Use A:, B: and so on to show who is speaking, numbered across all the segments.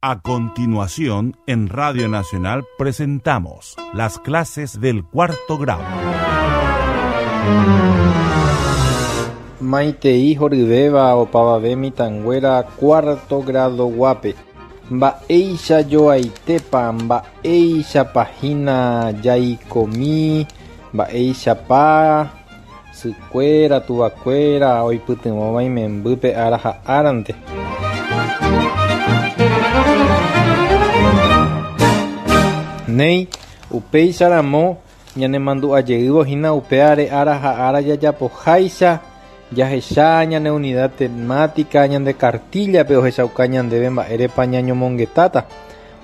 A: A continuación, en Radio Nacional presentamos las clases del cuarto grado.
B: Maitei horyvéva opavave mitãnguéra cuarto grado guápe. Mba'éicha joaitépa, mba'éichapa hína jaikomi, mba'éichapa sykuéra, tuvakuéra oipytyvõva imembýpe ára ha árante. Néi, upéicharamo ñanemandu'ajeývo hína upévare ára ha ára jajapoháicha, jahecha ñane unidad temática ñande kartíllape ohechauka ñandéve mba'érepa ñañomongetáta.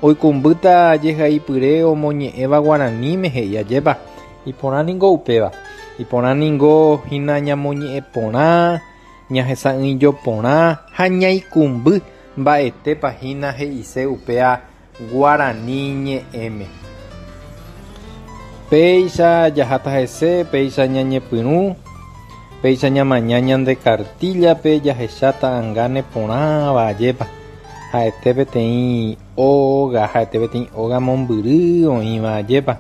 B: Oikũmbýta jehaipyre omoñe'ẽva guaraníme he'i ajépa. Iporã ningo upéva. Iporã ningo hína ñamoñe'ẽ porã, ñahesa'ỹijo porã ha ñaikũmby mba'etépa hína he'ise upéa guarani ñe'ẽme. Péicha jaháta hese, péicha ñañepyrũ, péicha ñamaña ñande kartíllape jahecha ta'anga neporãva ajépa. Ha'ete peteĩ óga, ha'ete peteĩ óga mombyry oĩva ajépa.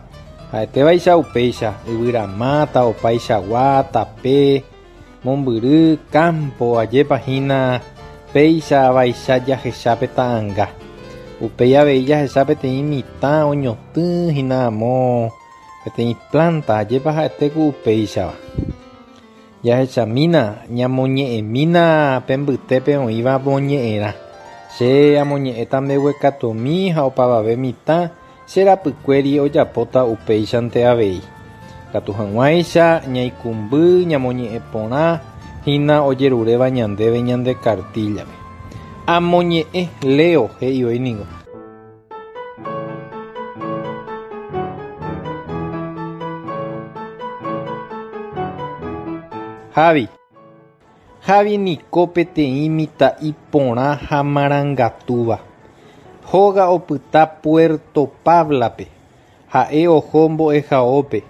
B: Ha'etévaicha upéicha, yvyramáta, opaichagua, tape, mombyry, kámpo, ajépa hína péicha vaicha jahecha pe ta'anga. Upéi avei jahecha peteĩ mitã oñotỹ hína amo peteĩ plánta, ajépa ha'ete ku upéichava. Jahechamína, ñamoñe'ẽmína pe mbytépe oĩva moñe'ẽrã. Che amoñe'ẽta mbeguekatumi ha opavave mitã che rapykuéri ojapóta upéichante avei. Katu hag̃uáicha ñaikũmby ñamoñe'ẽ porã hína ojeruréva ñandéve ñande kartíllape. Amoñe'ẽ, leo, he'i voi ningo. Javi. Javi niko peteĩ mitã'i porã ha marangatúva. Hóga opyta Puerto Pabla-pe. Ha'e oho mbo'ehaópe.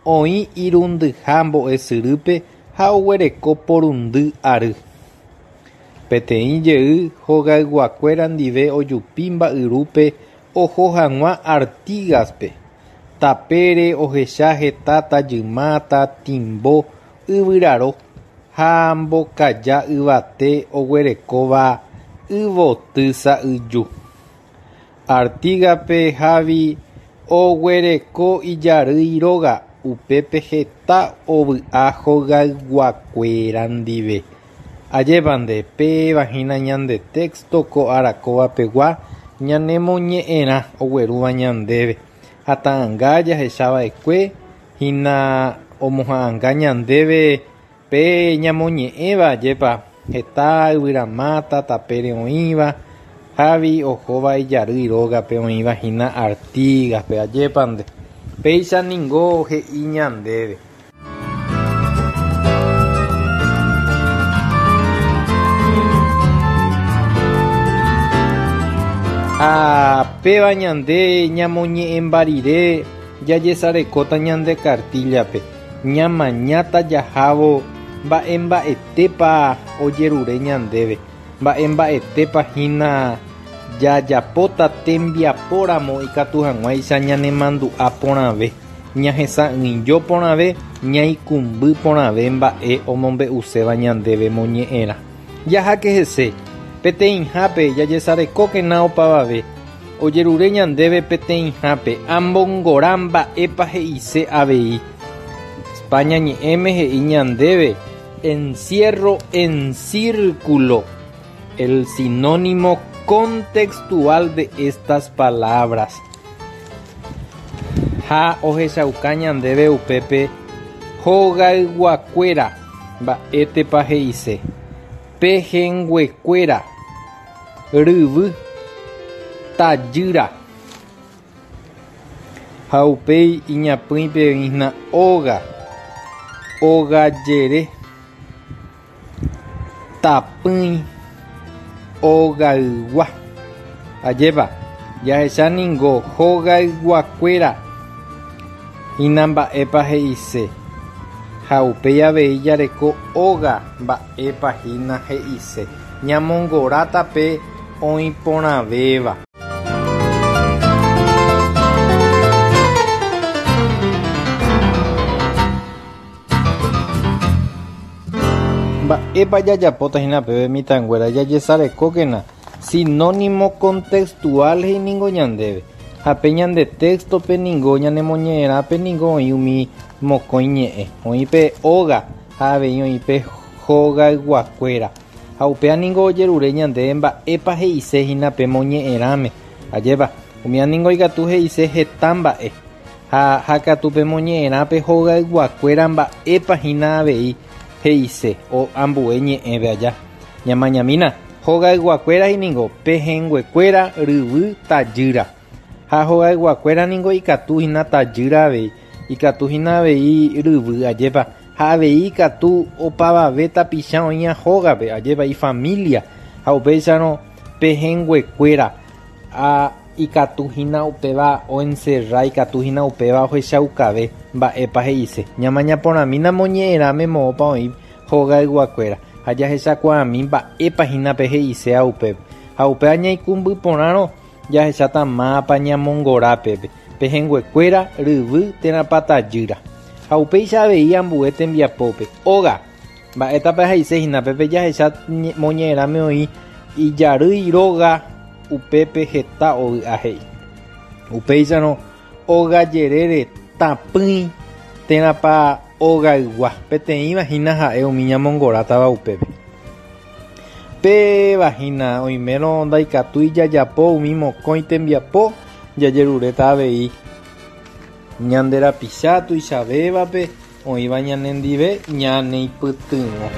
B: Oĩ irundyha mbo'esyrýpe ha oguereko porundy ary. Peteĩ jey hogayguakuéra ndive ojupi mba'yrúpe oho hag̃ua Artigas-pe. Tapére ohecha heta tajymáta, timbo, yvyraro ha mbokaja yvate oguerekóva yvoty sa'yju. Artigas-pe Javi oguereko ijarýi róga, upépe heta ovy'a hogayguakuéra ndive. Ajépa nde, péva hína ñande texto ko arakóva pegua ñanemoñe'ẽrã oguerúva ñandéve ha ta'anga jahechava'ekue hína omoha'anga ñandéve pe ñamoñe'ẽva ajépa heta yvyramáta tapére oĩva, Javi ohóva ijarýi rógape oĩva hína Artigas-pe, ajépa nde. Péicha ningo he'i ñandéve. Ha péva ñande ñamoñe'ẽmba rire jajesarekóta ñande kartíllape, ñamañáta jahávo mba'emba'etépa ojerure ñandéve, mba'emba'etépa hína jajapóta tembiapóramo ikatu hag̃uáicha ñanemandu'a porãve. Ñahesa'ỹijo porãve, ñaikũmby porãve mba'e omombe'uséva ñandéve moñe'ẽrã. Jaháke hese, peteĩhápe jajesarekókena opavave, ojerure ñandéve peteĩhápe ambongora mba'épa he'ise avei. España ñe'ẽme he'i ñandéve encierro en círculo, el sinónimo contextual de estas palabras. Ha ohechauka ñandéve upépe hogayguakuéra mba'étepa he'ise, pehẽnguekuéra, ryvy, tajýra. Ha upéi iñapỹipe oĩhína óga, ogajere, tapỹi, ogaygua. Ajépa, jahecha ningo hogayguakuéra hína mba'épa he'ise, ha upéi avei jareko óga mba'épa hína he'ise. Ñamongoráta pe oĩporãvéva. Mba'épa jajapóta hína péve mitãnguéra jajesarekókena sinónimo contextual he'i ningo ñandéve. Ha pe ñande texto-pe ningo ñanemoñe'ẽrãpe ningo oĩ umi mokõi ñe'ẽ. Oĩ pe óga ha avei oĩ pe hogayguakuéra. Ha upéva ningo ojerure ñandéve mba'épa he'ise hína pe moñe'ẽrãme. Ajépa, umíva ningo ikatu he'ise heta mba'e. Ha ha katu pe moñe'ẽrã pe hogayguakuéra mba'épa hína avei he'ise o ambue ñe'ẽve aja. Ñamañamína, hogayguakuéra ningo pehẽnguekuéra ryvy tajýra. Ha hogayguakuéra ningo ikatu hína tajýra avei, ikatu hína avei ryvy, ajépa. Ha avei ikatu opavave tapicha oĩva hógape, ajépa, ifamilia. Ha upéicharõ pehẽnguekuéra a ikatu hína upéva oencerra, ikatu hína upéva ohechaukave mba'épa he'ise. Ñamaña porãmína moñe'ẽrãme moõpa oĩ hogayguakuéra ha jahechakuaami mba'épa hína pe he'iséva upépe. Ha upéva ñaikũmby porãrõ jahecháta mávapa ñamongora pépe, pehẽnguekuéra, ryvy térãpa tajýra. Ha upéicha avei ambue tembiapópe. Óga. Mba'étapa he'ise hína pépe jahecha moñe'ẽrãme oĩ ijarýi róga upépe heta ovy'a he'i. Upéicharõ óga jerére tapỹi térãpa ogaygua, peteĩva hína ha'e umi ñamongorátava upépe. Péva hína oimérõ ndaikatúi jajapo umi mokõi tembiapo jajeruréta avei ñande rapicha tuichavévape oĩva ñanendive ñaneipytyvõ.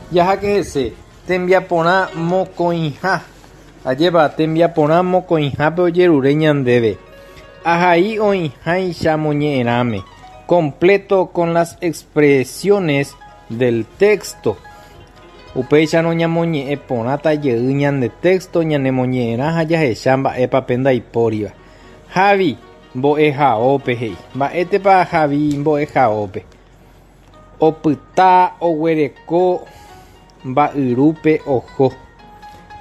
B: Jaháke hese, tembiaporã mokõiha. Ajépa, tembiaporã mokõihápe ojerure ñandéve. Ahai oĩháicha moñe'ẽrãme, completo con las expresiones del texto. Upéicharõ ñamoñe'ẽ porãta jey ñande texto ñanemoñe'ẽrã ha jahecha mba'épa pe ndaipóriva. Javi, mbo'ehaópe he'i. Mba'étepa Javi mbo'ehaópe? Opyta oguereko mba'yrúpe oho.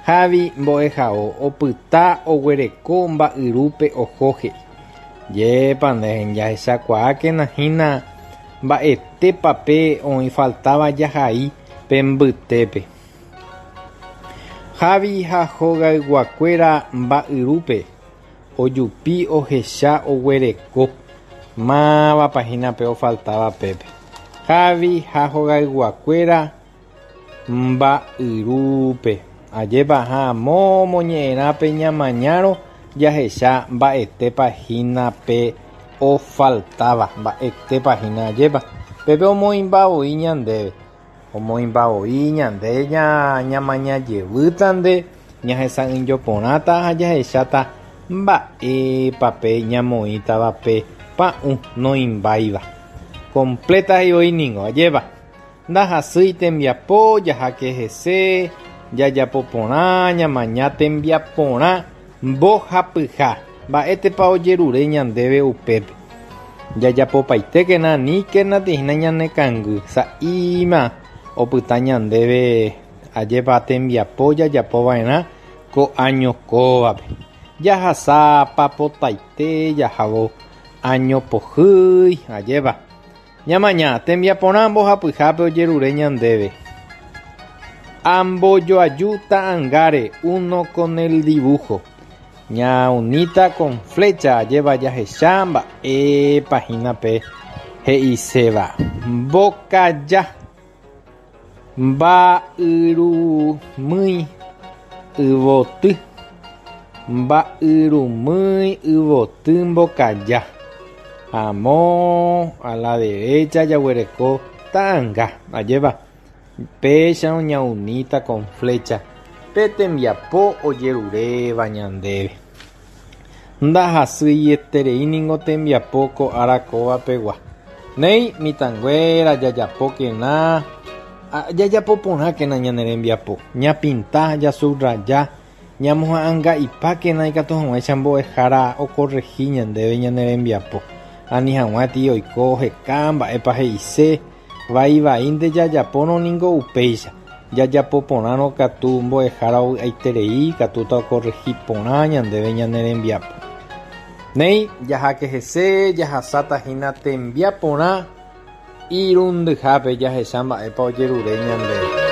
B: Javi mbo'ehao opyta oguereko mba'yrúpe oho he'i. Jépa nde jahechakuaákena hína mba'etépa pe oĩ faltáva jahai pe mbytépe. Javi ha hogayguakuéra mba'yrúpe ojupi ohecha oguereko mávapa hína pe ofaltáva pépe. Javi ha hogayguakuéra mba'yrúpe. Ajépa ha amo moñe'ẽrã pe ñamañárõ jahecha mba'etépa hína pe ofaltáva, mba'etépa hína ajépa. Pépe omoĩmba voi ñandéve. Omoĩmba voi ñande ñamaña jevýta nde, ñahesa'ỹijo porãta ha jahecháta mba'épa pe ñamoĩtava pe pa'ũ noĩmbáiva. Completa he'i voi ningo, ajépa. Ndahasýi tembiapo jaháke hese, jajapo porã, ñamaña tembiaporã mbohapyha. Mba'étepa ojerure ñandéve upépe? Jajapopaitékena aníkena tĩhína ñane kangy, sa'íma opyta ñandéve ajépa tembiapo jajapo va'erã ko áño kóvape. Jahasa papotaite jahávo áño pohýi, ajépa. Ñamaña, tembiaporã mbohapyhápe ojerure ñandéve. Ambojoaju ta'angáre uno con el dibujo. Ñaunita con flecha ajéva jahecha mba'épa hína pe he'iséva. Mbokaja. Mba'yrumýi yvoty. Mba'yrumýi yvoty mbokaja. Amo a la derecha jaguereko ta'anga, ajépa? Péicharõ ñauníta con flecha pe tembiapo ojeruréva ñandéve. Ndahasyieterei ningo tembiapo ko ára kóva pegua. Néi, mitãnguéra, jajapókena. Jajapo porãkena ñane rembiapo, ñapinta, jasubraja, ñamoha'ãnga'ipákena ikatu hag̃uáicha mbo'ehára okorrehi ñandéve ñane rembiapo, ani hag̃uáti oiko oheka mba'épa he'ise, vai vaínte jajapórõ ningo upéicha, jajapo porãrõ katu mbo'ehára ovy'aiterei ikatúta okorrehi porã ñandéve ñane rembiapo. Néi, jaháke hese, jahasáta hína tembiaporã. Irundyhápe jahecha mba'épa ojerure ñandéve.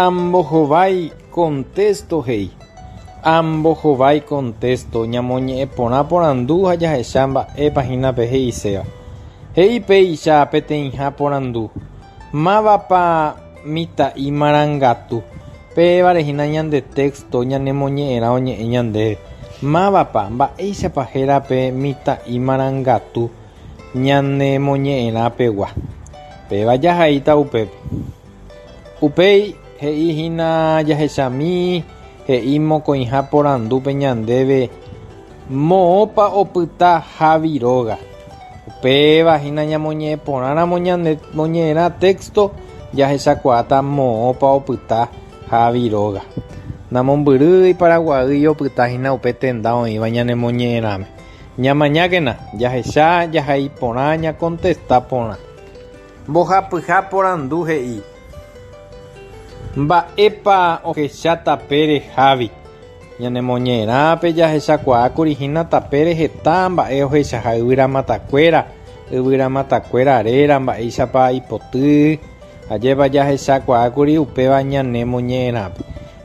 B: Ambohovái contexto he'i. Ambohovái contexto ñamoñe'ẽ porã porandu ha jahecha mba'épa hína pe he'iséva. He'i péicha peteĩha porandu. Mávapa mitã'i marangatu? Pévare hína ñande texto ñanemoñe'ẽrã oñe'ẽ ñandéve. Mávapa, mba'éichapa héra pe mitã'i marangatu ñanemoñe'ẽrã pegua? Péva jahaíta upépe. Upéi he'i hína jahechami he'i mokõiha porandúpe ñandéve moõpa opyta Javi róga. Upéva hína ñamoñe'ẽ porãramo ñane moñe'ẽrã texto jahechakuaáta moõpa opyta Javi róga. Namombyrýi Paraguaýi opyta hína upe tenda oĩva ñane moñe'ẽrãme. Ñamañákena, jahecha, jahai porã, ñakontesta porã. Mbohapyha porandu he'i, Mba'épa ohecha tapére Javi? Ñanemoñe'ẽrãpe jahechakuaákuri hína tapére heta mba'e ohechaha yvyramatakuéra, yvyramatakuéra réra, mba'éichapa ipoty. Ajépa jahechakuaákuri upéva ñane moñe'ẽrãpe.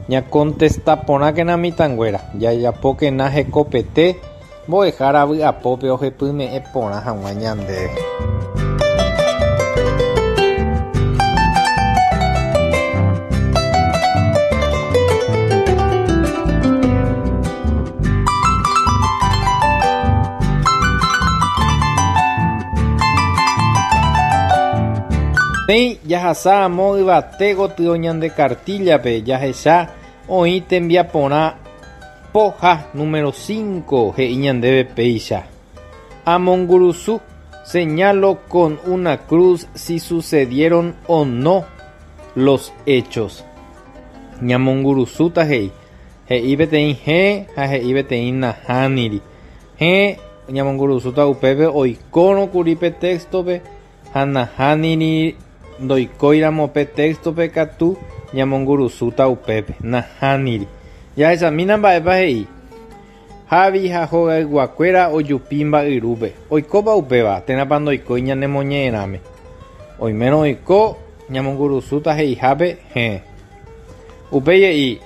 B: Ñakontesta porãkena mitãnguéra, jajapókena hekopete mbo'ehára vy'apópe ohepyme'ẽ porã hag̃ua ñandéve. Néi, jahasa amo yvate gotyo ñande kartíllape jahecha oĩ tembiaporã poha número cinco he'i ñandéve péicha, Amongurusu, señalo con una cruz si sucedieron o no los hechos. Ñamongurusúta he'i, he'i peteĩ héẽ ha he'i peteĩ nahániri. Héẽ, ñamongurusúta upépe oikórõ kuri pe téxtope ha nahániri ndoikóiramo pe téxtope katu ñamongurusúta upépe. Nahániri. Jahechamína mba'épa he'i. Javi ha hogayguakuéra ojupi mba'yrúpe. Oikópa upéva, térãpa ndoikói ñanemoñe'ẽrãme? Oimérõ oiko, ñamongurusúta he'ihápe, héẽ. Upéi he'i,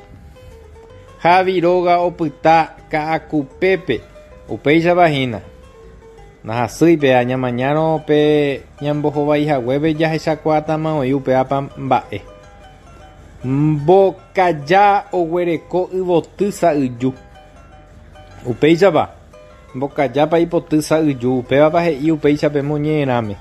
B: Javi róga opyta Ka'akupépe, upéichapa hína. Ndahasýi pe añamañárõ pe ñambohovái haguépe jahechakuaátama oĩ upévapa mba'e. Mbokaja oguereko yvoty sa'yju. Upéichapa, mbokajápa ipoty sa'yju, upévapa he'i upéicha pe moñe'ẽrãme.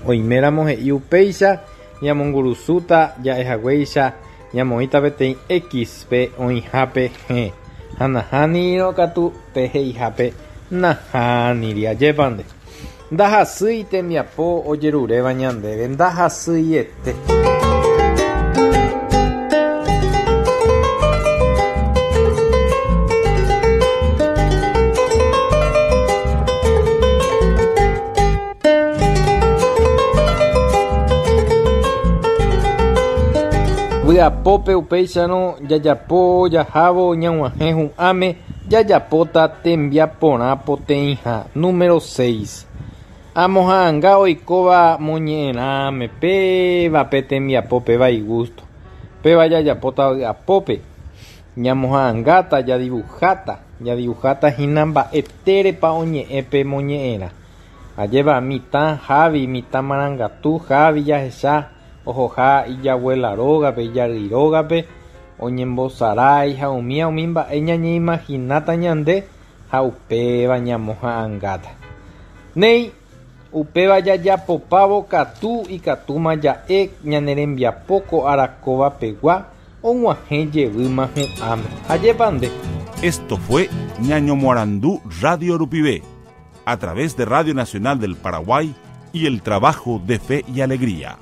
B: Oiméramo he'i upéicha, ñamongurusúta ja'ehaguéicha ñamoĩta peteĩ X pe oĩhápe hẽ, ha nahánirõ katu pe he'ihápe nahániri. Ajépa nde. Ndahasýi tembiapo ojeruréva ñandéve, ndahasyiete. Vy'apópe upéicharõ jajapo jahávo ñag̃uahẽ hu'ãme jajapóta tembiaporã poteĩha, número seis. Amoha'anga oikóva moñe'ẽrãme péva pe tembiapo péva igústo. Péva jajapóta vy'apópe. Ñamoha'angáta, jadivuháta, jadivuháta hína mba'etérepa oñe'ẽ pe moñe'ẽrã. Ajépa mitã Javi, mitã marangatu Javi jahecha ohoha ijaguéla rógape, ijarýi rógape, oñembosarái ha umíva umi mba'e ñañeimahináta ñande ha upéva ñamoha'angáta. Néi, upéva jajapopávo katu ikatúma ja'e ñane rembiapo ko ára kóva pegua og̃uahẽ jevýma hu'ãme. Ajépa nde?
A: Esto fue Ñañomoarandu Radio rupive, a través de Radio Nacional del Paraguay y el trabajo de Fe y Alegría.